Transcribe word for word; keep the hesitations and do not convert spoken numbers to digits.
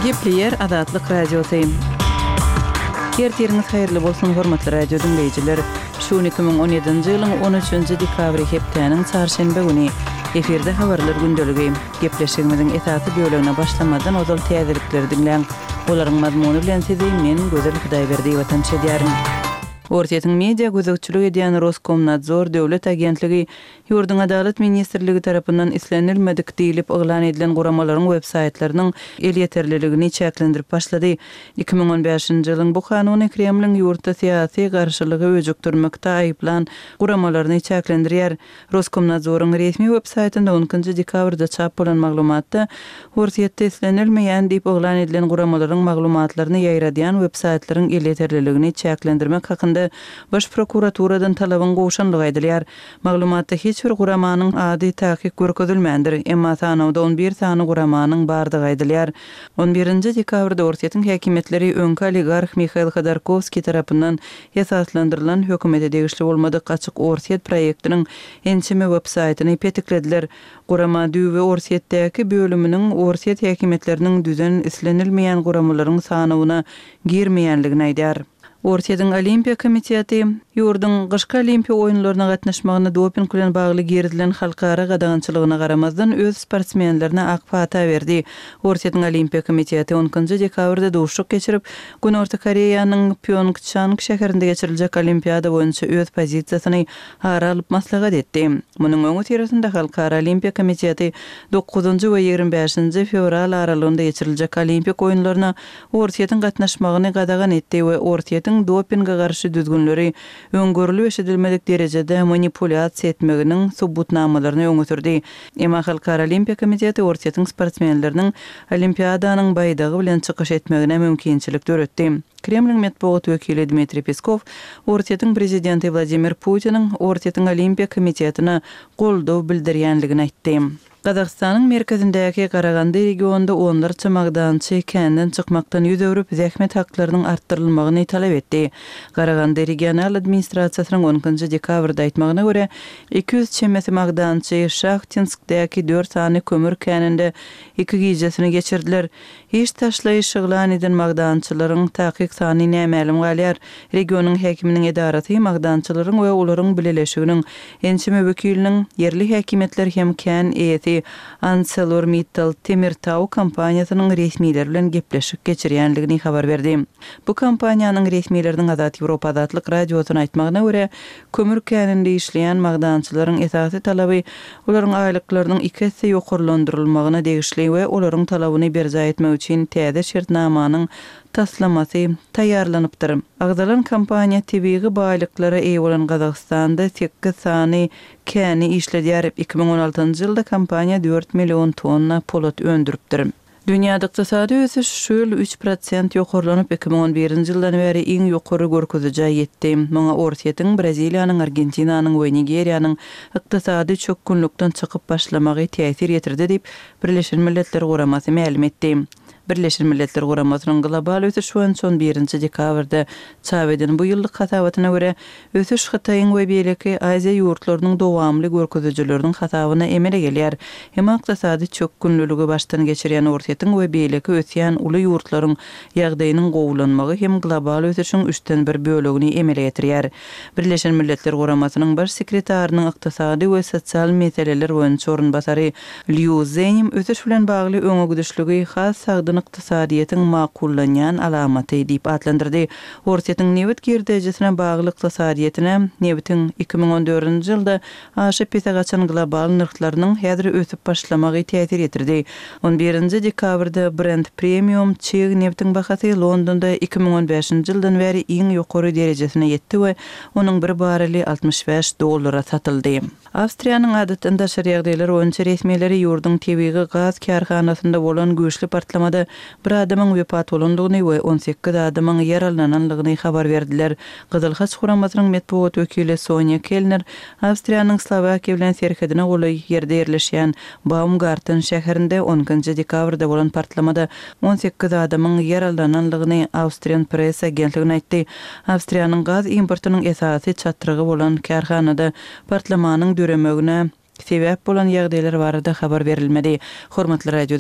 Gepleýär Azatlyk Radiosy. Ertiriňiz haýyrly bolsun, hormatly radio diňleýjiler! Şu gün iki müň on ýedinji ýylyň on üçünji dekabry hepdäniň çarşenbe güni. Efirde habarlar gündeligi. Gepleşigimiziň esasy bölegine başlamazdan ozal täzelikleri diňläň. Olaryň mazmuny bilen sizi men, Gözel Hudaýberdiýewa tanyş edýärin. Orsýetiň media gözegçilik edýän Roskomnadzor döwlet agentligi ýurduň Adalat ministrligi tarapyndan islenilmedik diýlip yglan edilen guramalaryň websaýtlarynyň elýeterliligini çäklendirip başlady. Iki müň on bäşinji ýylyň bu kanuny Kremliň ýurtda syýasy garşylygy öjükdirmekde aýyplan guramalaryny çäklendirýär. Roskomnadzoryň resmi websaýtynda on ikinji dekabrda çap bolan maglumatda Orsýetde islenilmeýän diýip yglan edilen guramalaryň maglumatlaryny ýaýradýan websaýtlaryň elýeterliligini çäklendirmek hakynda Baş prokuraturadan talabyň gowşanlygy aýdylýar. Maglumatda hiç bir guramanyň ady takyk görkezilmändir, emma sanawda on bir sany guramanyň bardygy aýdylýar. On birinji dekabrda Orsýetiň häkimiýetleri öňki oligarh Mihail Hodorkowskiý tarapyndan esaslandyrylan hökümete degişli bolmadyk Açyk Orsýet proýektiniň ençeme websaýtyny petiklediler. Gurama düýbi Orsýetdäki bölüminiň Orsýet häkimiýetleriniň düzen islenilmeýän guramalaryň sanawyna girmeýänligini aýdýar. Orsýetiň Olimpiýa komiteti ýurduň gyşky Olimpiýa oýunlaryna gatnaşmagyna doping bilen bagly girizilen halkara gadagançylygyna garamazdan öz sportsmenlerine ak pata berdi. Orsýetiň Olimpiýa komiteti on ikinji dekabrda duşuşyk geçirip, Günorta Koreýanyň Pýongçang şäherinde geçiriljek Olimpiada boýunça öz pozisiýasyny ara alyp maslahat etdi. Munuň öňüsyrasynda Halkara Olimpiýa komiteti dokuzynjy we ýigrimi bäşinji fewral aralygynda geçiriljek Olimpik oýunlaryna Orsýetiň gatnaşmagyny gadagan etdi we Orsýetiň dopinge garşy düzgünleri öň görlüp-eşidilmedik derejede manipulýasiýa etmeginiň subutnamalaryny öňe sürdi. Emma Halkara Olimpiýa komiteti Orsýetiň sportsmenleriniň Olimpiadanyň baýdagy bilen çykyş etmegine mümkinçilik döretdi. Kremliň metbugat wekili Dmitriý Peskow Orsýetiň prezidenti Wladimir Putiniň Orsýetiň Olimpiýa komitetine goldaw bildirýänligini aýtdy. Gazagystanyň merkezindäki Garagandy regionynda onlarça magdançy känden çykmakdan ýüz öwrüp, zähmet haklarynyň artdyrylmagyny talap etdi. Garagandy regional administrasiýasynyň on ikinji dekabrda aýtmagyna görä, iki ýüz çemesi magdançy Şahtinskdäki dört sany kömür käninde iki gijesini geçirdiler. Iş taşlaýyş yglan eden magdançylaryň takyk sany nämälim galýar. Regionyň häkiminiň edarasy magdançylaryň we olaryň bileleşiginiň ençeme wekiliniň, ýerli häkimiýetler hem kän eýesi ArcelorMittal Temirtau kompaniýasynyň resmileri bilen gepleşik geçirýändigini habar berdi. Bu kompaniýanyň resmileriniň Azat Ýewropa Azatlyk Radiosyna aýtmagyna görä, kömür käninde işleýän magdançylaryň esasy talaby olaryň aýlyklarynyň iki esse ýokarlandyrylmagyna degişli we olaryň talabyny berjaý etmek üçin täze şertnamanyň taslamasy taýýarlanypdyr. Agzalan kompaniýa tebigy baýlyklara eýe bolan Gazagystanda sekiz sany käni işledýär. Iki müň on altynjy ýylda kompaniýa dört million tonna polat öndüripdir. Dünýäde ykdysady ösüş şu ýyl üç prosent ýokarlanyp, iki müň on birinji ýyldan bäri iň ýokary görkezijä ýetdi. Muňa Orsýetiň, Braziliýanyň, Argentinanyň we Nigeriýanyň ykdysady çökgünlikden çykyp başlamagy täsir ýetirdi diýip, Birleşen Milletler Guramasy mälim etdi. Birleşen Milletler Guramasynyň global ösüş boýunça on birinji dekabrda çap eden bu ýyllyk hasabatyna görä, ösüş Hytaýyň we beýleki Aziýa ýurtlarynyň dowamly görkezijileriniň hasabyna emele gelýär. Emma ykdysady çökgünliligi başdan geçirýän Orsýetiň we beýleki ösýän uly ýurtlaryň ýagdaýynyň gowulanmagy hem global ösüşiň üçden bir bölegini emele getirýär. Birleşen Milletler Guramasynyň baş sekretarynyň ykdysady we sosial meseleler boýunça orunbasary Lýu Zenim ösüş bilen bagly öňe gidişligi has sagdyn ykdysadyýetiň makullanýan alamaty diýip atlandyrdy. Orsýetiň nebit girdejisine bagly ykdysadyýetine nebitiň iki müň on dördünji ýylda aşa pese gaçan global nyrhlarynyň häzir ösüp başlamagy täsir ýetirdi. On birinji dekabrda Brent Premium çig nebitiň bahasy Londonda iki müň on bäşinji ýyldan bäri iň ýokary derejesine ýetdi we onuň bir barreli altmyş bäş dollara satyldy. Awstriýanyň adatdan daşary ýagdaýlar boýunça resmileri ýurduň tebigy gaz kärhanasynda bolan güýçli partlamada bir adamyň wepat bolandygyny we on sekiz adamyň ýaralanandygyny habar berdiler. Gyzyl Haç guramasynyň metbugat wekili Sonýa Kellner Awstriýanyň Slowakiýa bilen serhedine golaý ýerde ýerleşýän Baumgarten şäherinde on ikinji dekabrda bolan partlamada on sekiz adamyň ýaralanandygyny Austrian Press agentligine aýtdy. Awstriýanyň gaz importynyň esasy çatrygy bolan kärhanada partlamanyň döremegine sebäp bolan ýagdaýlar barada habar berilmedi. Hormatly radio